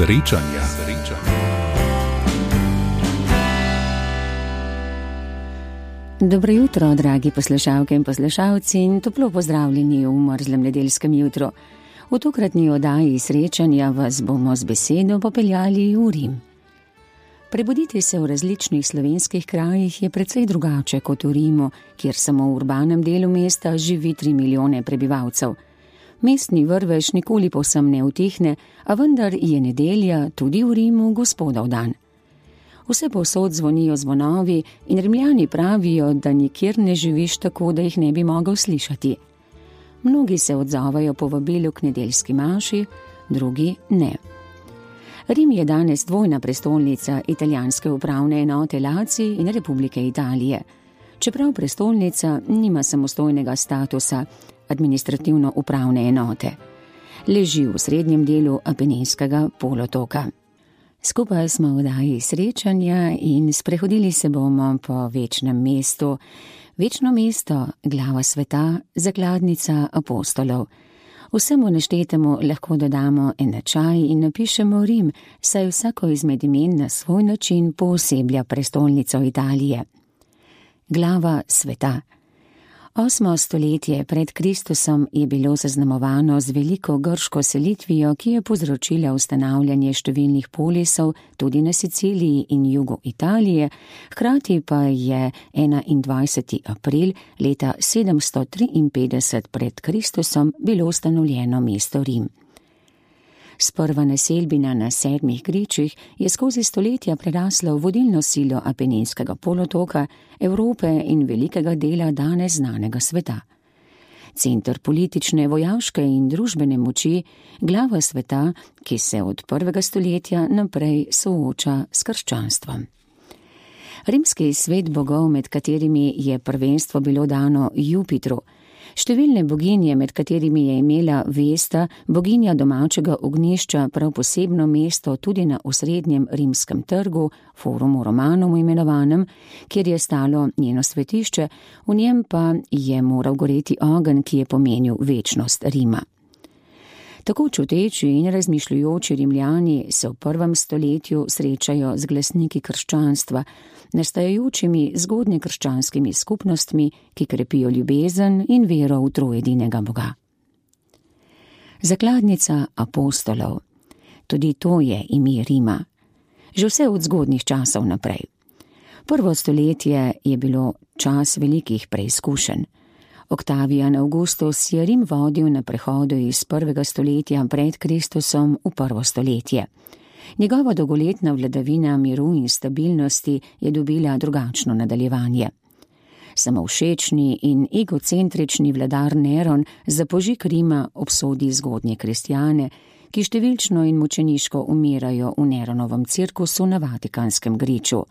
Srečanja. Dobro jutro, dragi poslušalke in poslušalci, in toplo pozdravljeni v mrzlem nedeljskem jutru. V tokratni oddaji Srečanja vas bomo z besedo popeljali v Rim. Prebuditi se v različnih slovenskih krajih je precej drugače kot v Rimu, kjer samo v urbanem delu mesta živi 3 milijone prebivalcev. Mestni vrvež nikoli povsem ne utihne, a vendar je nedelja tudi v Rimu Gospodov dan. Vse povsod zvonijo zvonovi in Rimljani pravijo, da nikjer ne živiš tako, da jih ne bi mogel slišati. Mnogi se odzovajo povabilu k nedeljski maši, drugi ne. Rim je danes dvojna prestolnica italijanske upravne enote Lazio in Republike Italije. Čeprav prestolnica nima samostojnega statusa administrativno-upravne enote. Leži v srednjem delu Apeninskega polotoka. Skupaj smo v oddaji Srečanja in sprehodili se bomo po večnem mestu. Večno mesto, glava sveta, zakladnica apostolov. Vsemu naštetemu lahko dodamo enačaj in napišemo Rim, saj vsako izmed imen na svoj način pooseblja prestolnico Italije. Glava sveta. 8. stoletje pred Kristusom je bilo zaznamovano z veliko grško selitvijo, ki je povzročila ustanavljanje številnih polisov tudi na Siciliji in jugu Italije, hkrati pa je 21. april leta 753 pred Kristusom bilo ustanovljeno mesto Rim. Sprva naselbina na 7 gričih je skozi stoletja prerasla v vodilno silo Apeninskega polotoka, Evrope in velikega dela danes znanega sveta. Center politične, vojaške in družbene moči, glava sveta, ki se od 1. stoletja naprej sooča s krščanstvom. Rimski svet bogov, med katerimi je prvenstvo bilo dano Jupitru, številne boginje, med katerimi je imela Vesta, boginja domačega ognjišča, prav posebno mesto tudi na osrednjem rimskem trgu, Forumu Romanum imenovanem, kjer je stalo njeno svetišče, v njem pa je moral goreti ogenj, ki je pomenil večnost Rima. Tako čuteči in razmišljujoči Rimljani se v 1. stoletju srečajo z glasniki krščanstva, nastajajočimi zgodnje krščanskimi skupnostmi, ki krepijo ljubezen in vero v trojedinega Boga. Zakladnica apostolov. Tudi to je ime Rima. Že vse od zgodnjih časov naprej. 1. stoletje je bilo čas velikih preizkušenj. Octavian Augustus je Rim vodil na prehodu iz 1. stoletja pred Kristusom v 1. stoletje. Njegova dolgoletna vladavina miru in stabilnosti je dobila drugačno nadaljevanje. Samovšečni in egocentrični vladar Neron za požig Rima obsodi zgodnje kristjane, ki številčno in mučeniško umirajo v Neronovem cirkusu na Vatikanskem griču.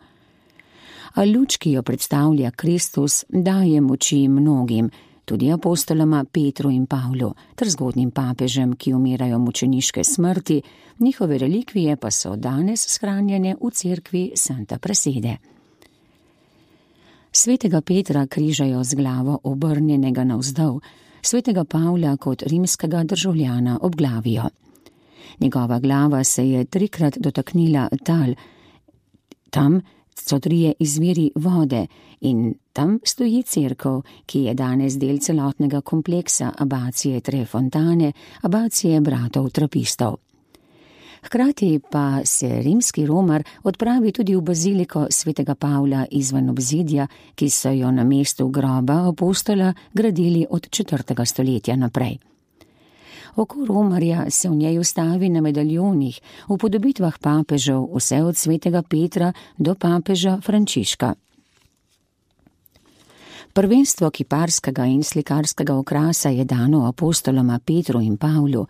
A luč, ki jo predstavlja Kristus, daje moči mnogim, tudi apostoloma Petru in Pavlu, ter zgodnjim papežem, ki umirajo mučeniške smrti, njihove relikvije pa so danes shranjene v cerkvi Santa Prassede. Svetega Petra križajo z glavo obrnjenega navzdol, svetega Pavla kot rimskega državljana obglavijo. Njegova glava se je 3-krat dotaknila tal, tam so 3 izviri vode in tam stoji cerkev, ki je danes del celotnega kompleksa abacije Tre Fontane, abacije bratov trapistov. Hkrati pa se rimski romar odpravi tudi v baziliko svetega Pavla izven obzidja, ki so jo na mestu groba apostola gradili od 4. stoletja naprej. Oko romarja se v njej ustavi na medaljonih, v podobitvah papežev, vse od svetega Petra do papeža Frančiška. Prvenstvo kiparskega in slikarskega okrasa je dano apostoloma Petru in Pavlu,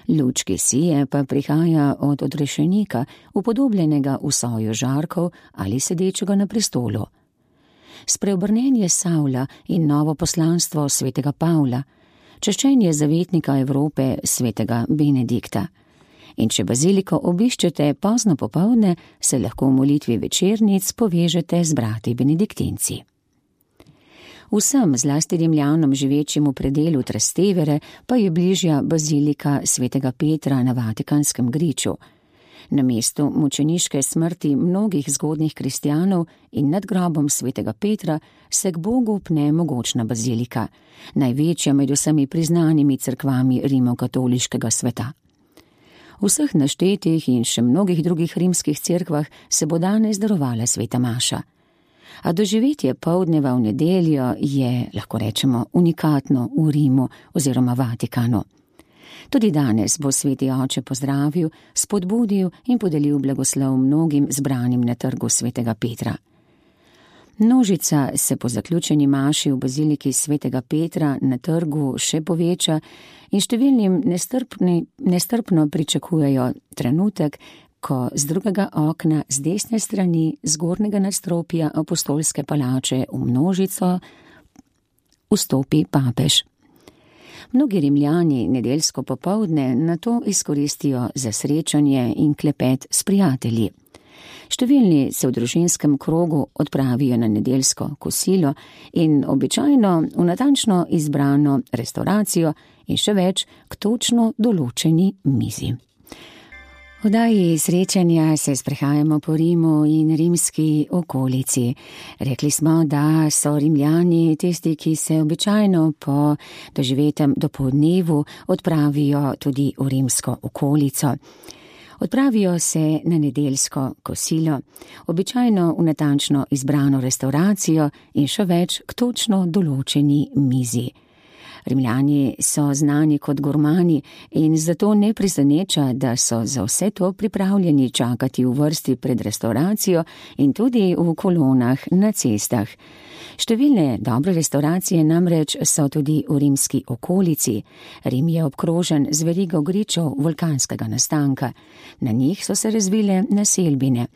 luč kisije pa prihaja od odrešenika, upodobljenega v soju žarkov ali sedečega na prestolu. Spreobrnenje Savla in novo poslanstvo svetega Pavla, češčenje zavetnika Evrope svetega Benedikta. In če baziliko obiščete pozno popoldne, se lahko v molitvi večernic povežete z brati benediktinci. Vsem, zlasti Rimljanom živečim v predelu Trastevere, pa je bližja bazilika svetega Petra na Vatikanskem griču. Na mestu mučeniške smrti mnogih zgodnjih kristjanov in nad grobom svetega Petra se k Bogu pne mogočna bazilika, največja med vsemi priznanimi cerkvami rimokatoliškega sveta. V vseh naštetih in še mnogih drugih rimskih cerkvah se bo danes darovala sveta maša. A doživetje poldneva v nedeljo je, lahko rečemo, unikatno v Rimu oziroma Vatikanu. Tudi danes bo sveti oče pozdravil, spodbudil in podelil blagoslov mnogim zbranim na trgu svetega Petra. Množica se po zaključeni maši v baziliki svetega Petra na trgu še poveča in številnim nestrpno pričakujejo trenutek, ko z drugega okna z desne strani zgornjega nadstropja apostolske palače v množico vstopi papež. Mnogi Rimljani nedeljsko popoldne na to izkoristijo za srečanje in klepet s prijatelji. Številni se v družinskem krogu odpravijo na nedeljsko kosilo in običajno v natančno izbrano restauracijo in še več k točno določeni mizi. V oddaji srečanja se sprehajamo po Rimu in rimski okolici. Rekli smo, da so Rimljani tisti, ki se običajno po doživetem dopoldnevu odpravijo tudi v rimsko okolico. Odpravijo se na nedeljsko kosilo, običajno v natančno izbrano restauracijo in še več k točno določeni mizi. Rimljani so znani kot gurmani in zato ne preseneča, da so za vse to pripravljeni čakati v vrsti pred restauracijo in tudi v kolonah na cestah. Številne dobre restauracije namreč so tudi v rimski okolici. Rim je obkrožen z verigo gričev vulkanskega nastanka. Na njih so se razvile naselbine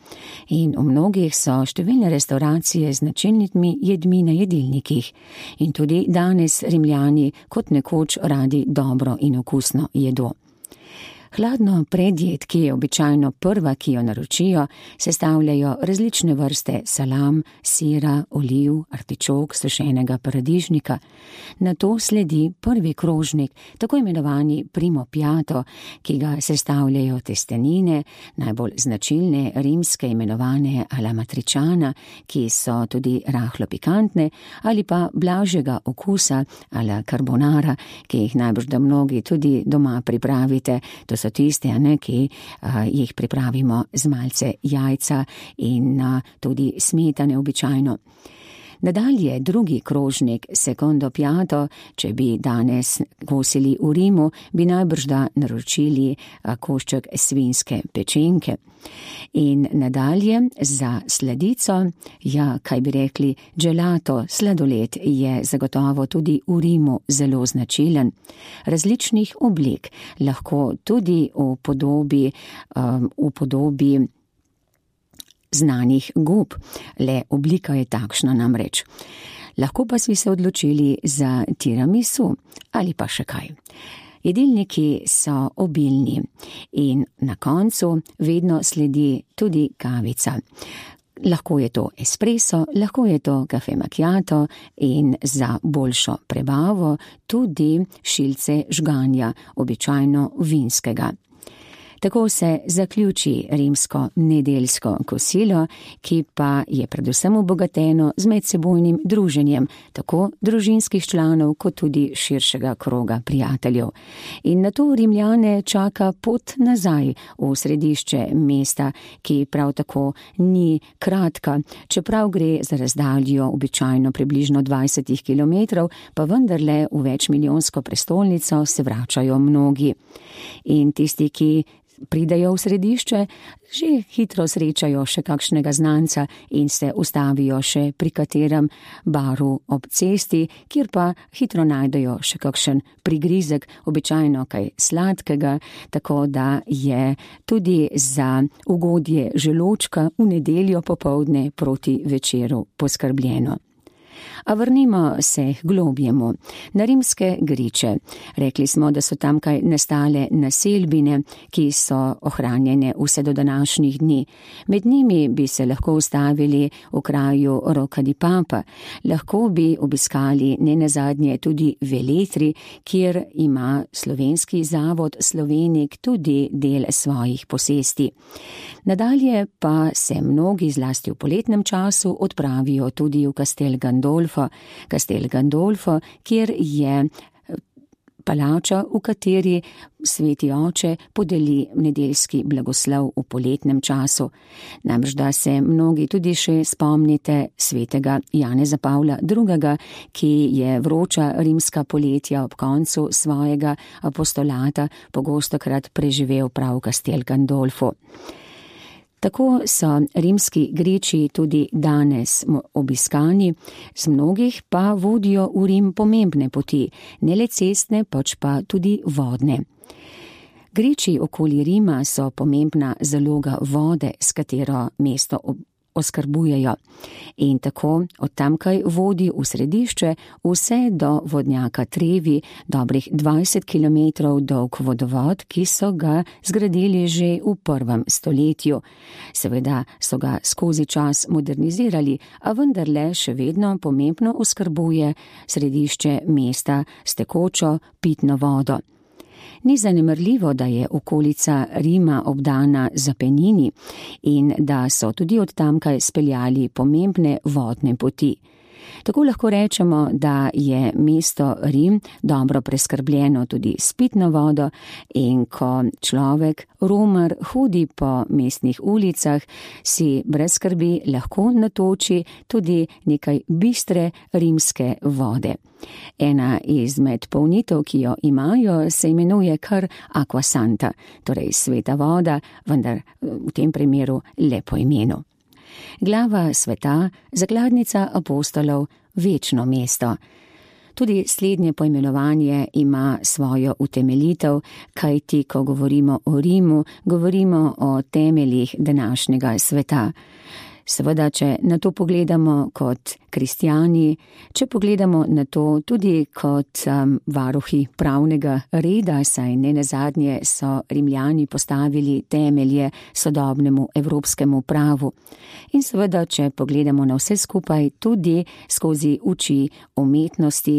in v mnogih so številne restauracije z značilnimi jedmi na jedilnikih. In tudi danes Rimljani kot nekoč radi dobro in okusno jedo. Hladno predjed, ki je običajno prva, ki jo naročijo, sestavljajo različne vrste salam, sira, oliv, artičok, sušenega paradižnika. Nato sledi prvi krožnik, tako imenovani primo piatto, ki ga sestavljajo testenine, najbolj značilne rimske imenovane alla matriciana, ki so tudi rahlo pikantne, ali pa blažjega okusa alla carbonara, ki jih najbrž da mnogi tudi doma pripravite. To so tiste, ki jih pripravimo z malce jajca in tudi smetane običajno. Nadalje drugi krožnik, secondo piatto, če bi danes kosili v Rimu, bi najbrž da naročili košček svinjske pečenke. In nadalje za sladico, kaj bi rekli, gelato, sladoled je zagotovo tudi v Rimu zelo značilen. Različnih oblik, lahko tudi v podobi znanih gob, le oblika je takšna namreč. Lahko pa si se odločili za tiramisu ali pa še kaj. Jedilniki so obilni in na koncu vedno sledi tudi kavica. Lahko je to espresso, lahko je to kafe macchiato in za boljšo prebavo tudi šilce žganja, običajno vinskega. Tako se zaključi rimsko nedeljsko kosilo, ki pa je predvsem obogateno z medsebojnim druženjem, tako družinskih članov kot tudi širšega kroga prijateljev. In na to Rimljane čaka pot nazaj v središče mesta, ki prav tako ni kratka, čeprav gre za razdaljo običajno približno 20 kilometrov, pa vendarle v večmilijonsko prestolnico se vračajo mnogi. In tisti, ki pridejo v središče, že hitro srečajo še kakšnega znanca in se ustavijo še pri katerem baru ob cesti, kjer pa hitro najdejo še kakšen prigrizek, običajno kaj sladkega, tako da je tudi za ugodje želočka v nedeljo popoldne proti večeru poskrbljeno. A vrnimo se k globjemu, na rimske Griče. Rekli smo, da so tamkaj nastale naselbine, ki so ohranjene vse do današnjih dni. Med njimi bi se lahko ustavili v kraju Rocca di Papa, lahko bi obiskali nenazadnje tudi Veletri, kjer ima slovenski zavod Slovenik tudi del svojih posesti. Nadalje pa se mnogi zlasti v poletnem času odpravijo tudi v Castel Gandolfo, kjer je palača, v kateri sveti oče podeli nedeljski blagoslov v poletnem času. Namreč da se mnogi tudi še spomnite svetega Janeza Pavla II., ki je vroča rimska poletja ob koncu svojega apostolata pogostokrat preživel prav v Castel Gandolfo. Tako so rimski Griči tudi danes obiskani, z mnogih pa vodijo v Rim pomembne poti, ne le cestne, pač pa tudi vodne. Griči okoli Rima so pomembna zaloga vode, s katero mesto oskrbujejo, in tako od tamkaj vodi v središče vse do vodnjaka Trevi, dobrih 20 kilometrov dolg vodovod, ki so ga zgradili že v 1. stoletju. Seveda so ga skozi čas modernizirali, a vendarle še vedno pomembno oskrbuje središče mesta s tekočo pitno vodo. Ni zanemarljivo, da je okolica Rima obdana z Apenini in da so tudi od tamkaj speljali pomembne vodne poti. Tako lahko rečemo, da je mesto Rim dobro preskrbljeno tudi s pitno vodo, in ko človek, romar, hodi po mestnih ulicah, si brez skrbi lahko natoči tudi nekaj bistre rimske vode. Ena izmed polnitev, ki jo imajo, se imenuje kar Aqua Santa, torej sveta voda, vendar v tem primeru le po imenu. Glava sveta, zakladnica apostolov, večno mesto. Tudi slednje poimenovanje ima svojo utemeljitev, kajti ko govorimo o Rimu, govorimo o temeljih današnjega sveta. Seveda, če na to pogledamo kot kristjani, če pogledamo na to tudi kot varuhi pravnega reda, saj nenazadnje so Rimljani postavili temelje sodobnemu evropskemu pravu. In seveda, če pogledamo na vse skupaj tudi skozi oči umetnosti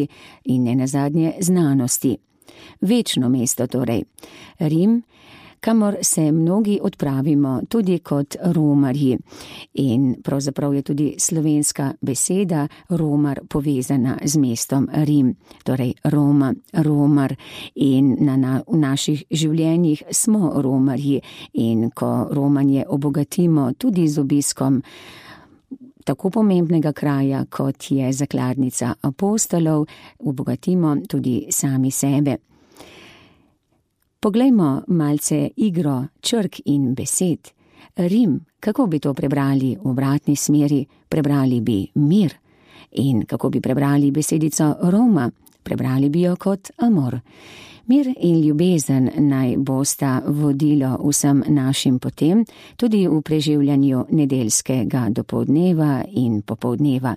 in nenazadnje znanosti. Večno mesto torej. Rim, kamor se mnogi odpravimo tudi kot romarji. In pravzaprav je tudi slovenska beseda romar povezana z mestom Rim, torej Roma, romar, in v naših življenjih smo romarji, in ko romanje obogatimo tudi z obiskom tako pomembnega kraja, kot je zakladnica apostolov, obogatimo tudi sami sebe. Poglejmo malce igro črk in besed. Rim, kako bi to prebrali v obratni smeri? Prebrali bi mir. In kako bi prebrali besedico Roma? Prebrali bi jo kot amor. Mir in ljubezen naj bosta vodilo vsem našim potem, tudi v preživljanju nedeljskega dopoldneva in popoldneva.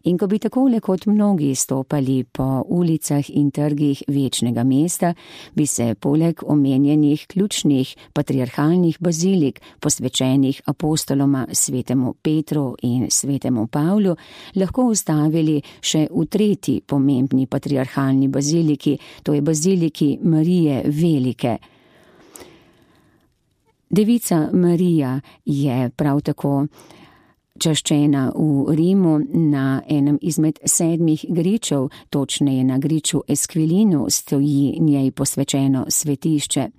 In ko bi takole kot mnogi stopali po ulicah in trgih večnega mesta, bi se poleg omenjenih ključnih patriarhalnih bazilik, posvečenih apostoloma svetemu Petru in svetemu Pavlu, lahko ustavili še v tretji pomembni patriarhalni baziliki, to je baziliki Marije Velike. Devica Marija je prav tako čaščena v Rimu na enem izmed 7 gričev, točneje na griču Esquilinu, stoji njej posvečeno svetišče.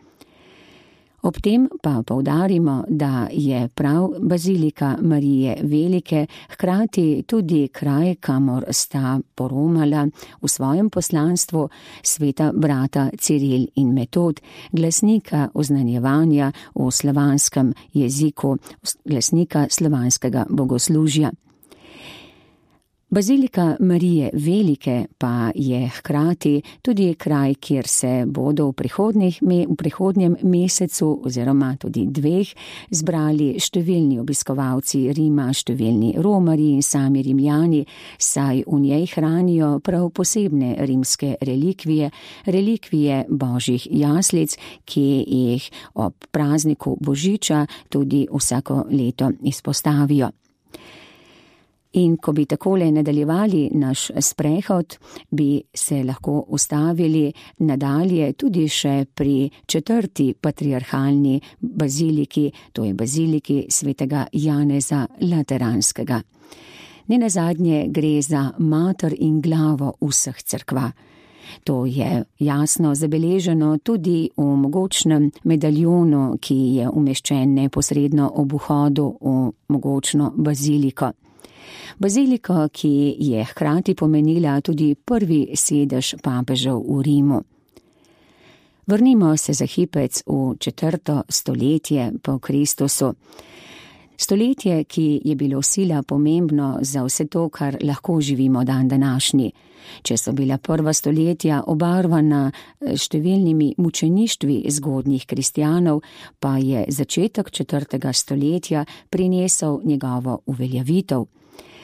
Ob tem pa poudarimo, da je prav bazilika Marije Velike hkrati tudi kraj, kamor sta poromala v svojem poslanstvu sveta brata Ciril in Metod, glasnika oznanjevanja v slovanskem jeziku, glasnika slovanskega bogoslužja. Bazilika Marije Velike pa je hkrati tudi kraj, kjer se bodo v prihodnjem mesecu oziroma tudi 2 zbrali številni obiskovalci Rima, številni romarji in sami Rimljani, saj v njej hranijo prav posebne rimske relikvije božjih jaslic, ki jih ob prazniku Božiča tudi vsako leto izpostavijo. In ko bi takole nadaljevali naš sprehod, bi se lahko ustavili nadalje tudi še pri 4. patriarhalni baziliki, to je baziliki svetega Janeza Lateranskega. Nenazadnje gre za mater in glavo vseh cerkva. To je jasno zabeleženo tudi v mogočnem medaljonu, ki je umeščen neposredno ob vhodu v mogočno baziliko. Bazilika, ki je hkrati pomenila tudi prvi sedež papežev v Rimu. Vrnimo se za hipec v 4. stoletje po Kristusu. Stoletje, ki je bilo sila pomembno za vse to, kar lahko živimo dan današnji. Če so bila prva stoletja obarvana številnimi mučeništvi zgodnjih kristjanov, pa je začetek 4. stoletja prinesel njegovo uveljavitev.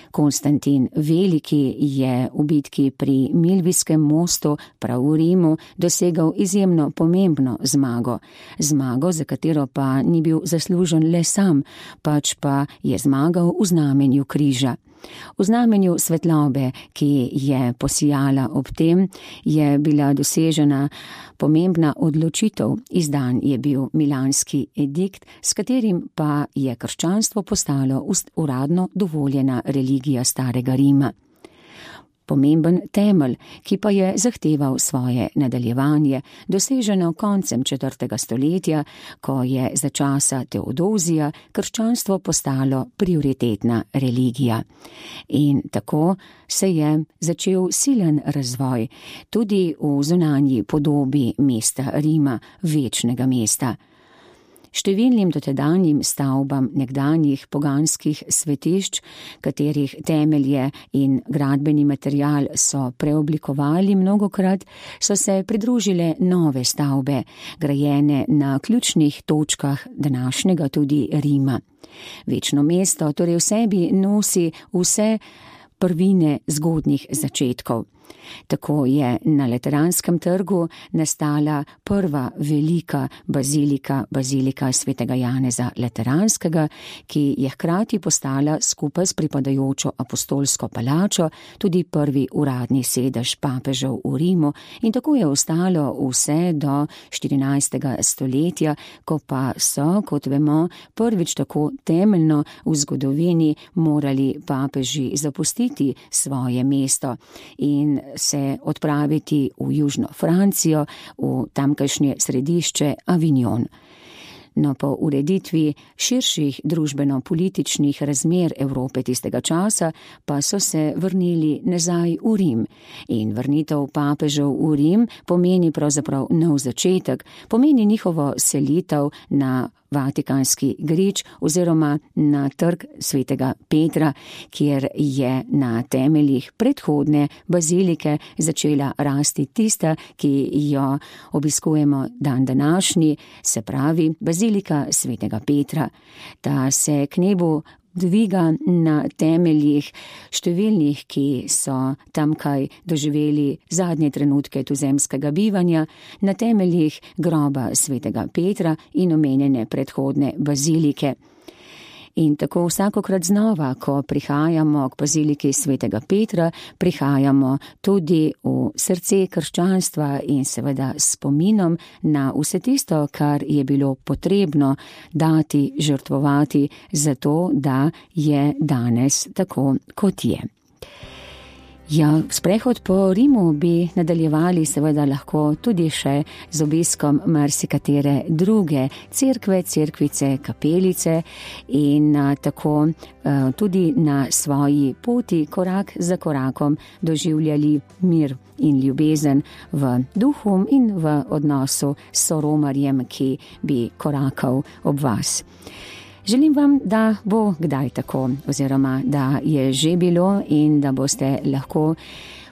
Konstantin Veliki je v bitki pri Milvijskem mostu prav v Rimu dosegal izjemno pomembno zmago, za katero pa ni bil zaslužen le sam, pač pa je zmagal v znamenju križa. V znamenju svetlobe, ki je posijala ob tem, je bila dosežena pomembna odločitev. Izdan je bil milanski edikt, s katerim pa je krščanstvo postalo uradno dovoljena religija starega Rima. Pomemben temelj, ki pa je zahteval svoje nadaljevanje, doseženo koncem 4. stoletja, ko je za časa Teodozija krščanstvo postalo prioritetna religija. In tako se je začel silen razvoj tudi v zunanji podobi mesta Rima, večnega mesta. Številnim dotedanjim stavbam nekdanjih poganskih svetišč, katerih temelje in gradbeni material so preoblikovali mnogokrat, so se pridružile nove stavbe, grajene na ključnih točkah današnjega tudi Rima. Večno mesto torej v sebi nosi vse prvine zgodnjih začetkov. Tako je na Lateranskem trgu nastala prva velika bazilika svetega Janeza Lateranskega, ki je hkrati postala skupaj s pripadajočo apostolsko palačo tudi prvi uradni sedež papežev v Rimu, in tako je ostalo vse do 14. stoletja, ko pa so, kot vemo, prvič tako temeljno v zgodovini morali papeži zapustiti svoje mesto in se odpraviti v južno Francijo, v tamkajšnje središče Avignon. No, po ureditvi širših družbeno-političnih razmer Evrope tistega časa pa so se vrnili nazaj v Rim. In vrnitev papežev v Rim pomeni pravzaprav nov začetek, pomeni njihovo selitev na Vatikanski grič oziroma na trg svetega Petra, kjer je na temeljih predhodne bazilike začela rasti tista, ki jo obiskujemo dan današnji, se pravi bazilika svetega Petra. Ta se k nebu dviga na temeljih številnih, ki so tamkaj doživeli zadnje trenutke tuzemskega bivanja, na temeljih groba svetega Petra in omenjene predhodne bazilike. In tako vsakokrat znova, ko prihajamo k baziliki svetega Petra, prihajamo tudi v srce krščanstva in seveda s spominom na vse tisto, kar je bilo potrebno dati, žrtvovati, zato da je danes tako, kot je. Ja, sprehod po Rimu bi nadaljevali seveda lahko tudi še z obiskom marsikatere druge cerkve, cerkvice, kapelice in tako tudi na svoji poti korak za korakom doživljali mir in ljubezen v duhu in v odnosu s soromarjem, ki bi korakal ob vas. Želim vam, da bo kdaj tako, oziroma da je že bilo in da boste lahko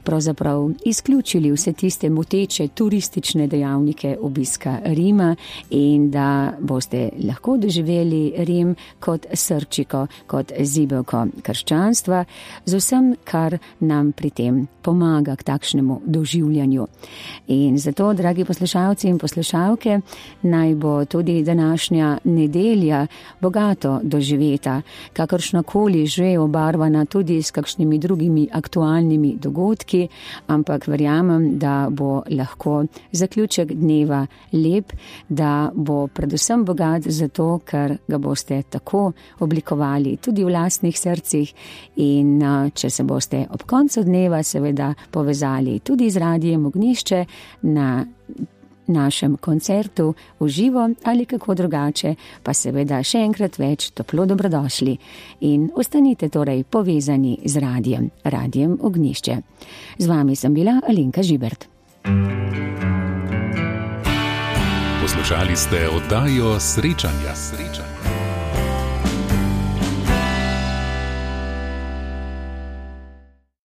pravzaprav izključili vse tiste moteče turistične dejavnike obiska Rima in da boste lahko doživeli Rim kot srčiko, kot zibelko krščanstva, z vsem, kar nam pri tem pomaga k takšnemu doživljanju. In zato, dragi poslušalci in poslušalke, naj bo tudi današnja nedelja bogato doživeta, kakršnakoli že obarvana tudi s kakšnimi drugimi aktualnimi dogodki, ampak verjamem, da bo lahko zaključek dneva lep, da bo predvsem bogat zato, ker ga boste tako oblikovali tudi v lastnih srcih in če se boste ob koncu dneva seveda povezali tudi z Radijem Ognjišče na našem koncertu v živo ali kako drugače, pa seveda še enkrat več toplo dobrodošli in ostanite torej povezani z Radijem Ognjišče. Z vami sem bila Alenka Žibert. Poslušali ste oddajo Srečanja.